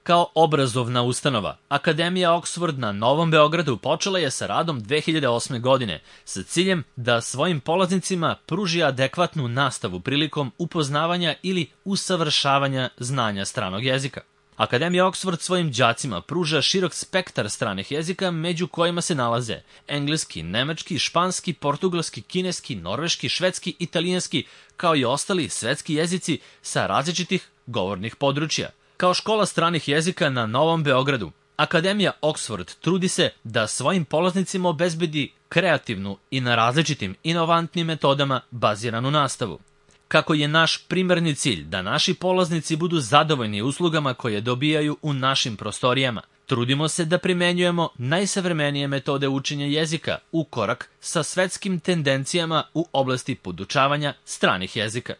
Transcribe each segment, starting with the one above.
Kao obrazovna ustanova, Akademija Oxford na Novom Beogradu počela je sa radom 2008. godine sa ciljem da svojim polaznicima pruži adekvatnu nastavu prilikom upoznavanja ili usavršavanja znanja stranog jezika. Akademija Oxford svojim đacima pruža širok spektar stranih jezika, među kojima se nalaze engleski, nemački, španski, portugalski, kineski, norveški, švedski, italijanski, kao i ostali svetski jezici sa različitih govornih područja. Kao škola stranih jezika na Novom Beogradu, Akademija Oxford trudi se da svojim polaznicima obezbedi kreativnu i na različitim inovantnim metodama baziranu nastavu. Kako je naš primarni cilj da naši polaznici budu zadovoljni uslugama koje dobijaju u našim prostorijama, trudimo se da primenjujemo najsavremenije metode učenja jezika u korak sa svetskim tendencijama u oblasti podučavanja stranih jezika.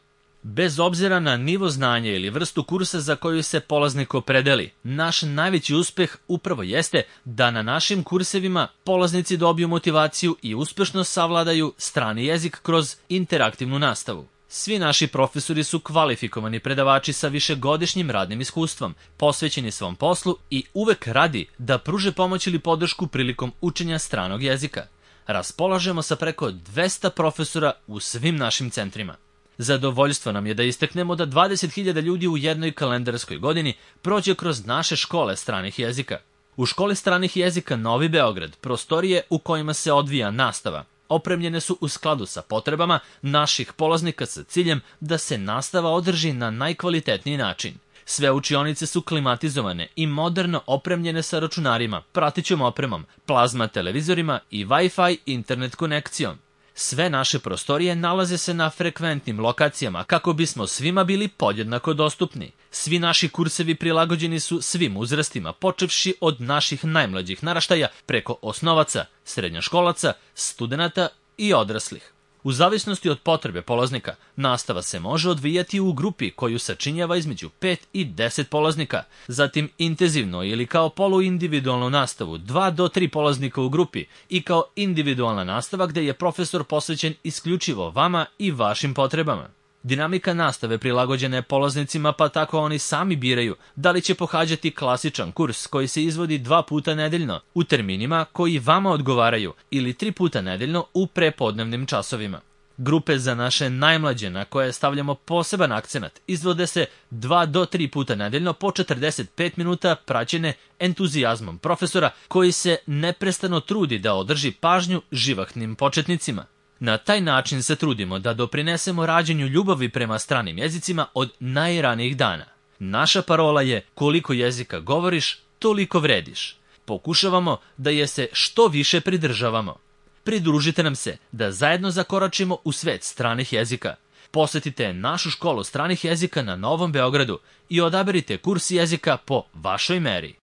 Bez obzira na nivo znanja ili vrstu kursa za koju se polaznik opredeli, naš najveći uspeh upravo jeste da na našim kursevima polaznici dobiju motivaciju i uspešno savladaju strani jezik kroz interaktivnu nastavu. Svi naši profesori su kvalifikovani predavači sa višegodišnjim radnim iskustvom, posvećeni svom poslu i uvek radi da pruže pomoć ili podršku prilikom učenja stranog jezika. Raspolažemo sa preko 200 profesora u svim našim centrima. Zadovoljstvo nam je da istaknemo da 20.000 ljudi u jednoj kalendarskoj godini prođe kroz naše škole stranih jezika. U školi stranih jezika Novi Beograd prostorije u kojima se odvija nastava opremljene su u skladu sa potrebama naših polaznika sa ciljem da se nastava održi na najkvalitetniji način. Sve učionice su klimatizovane i moderno opremljene sa računarima, pratećom opremom, plazma televizorima i Wi-Fi internet konekcijom. Sve naše prostorije nalaze se na frekventnim lokacijama kako bismo svima bili podjednako dostupni. Svi naši kursevi prilagođeni su svim uzrastima, počevši od naših najmlađih naraštaja preko osnovaca, srednjoškolaca, studenata i odraslih. U zavisnosti od potrebe polaznika, nastava se može odvijati u grupi koju sačinjava između 5 i 10 polaznika, zatim intenzivno ili kao poluindividualnu nastavu 2 do 3 polaznika u grupi i kao individualna nastava gde je profesor posvećen isključivo vama i vašim potrebama. Dinamika nastave prilagođena je polaznicima, pa tako oni sami biraju da li će pohađati klasičan kurs koji se izvodi 2 puta nedeljno u terminima koji vama odgovaraju ili 3 puta nedeljno u prepodnevnim časovima. Grupe za naše najmlađe na koje stavljamo poseban akcenat izvode se 2 do 3 puta nedeljno po 45 minuta praćene entuzijazmom profesora koji se neprestano trudi da održi pažnju živahnim početnicima. Na taj način se trudimo da doprinesemo rađenju ljubavi prema stranim jezicima od najranijih dana. Naša parola je koliko jezika govoriš, toliko vrediš. Pokušavamo da je se što više pridržavamo. Pridružite nam se da zajedno zakoračimo u svet stranih jezika. Posetite našu školu stranih jezika na Novom Beogradu i odaberite kurs jezika po vašoj meri.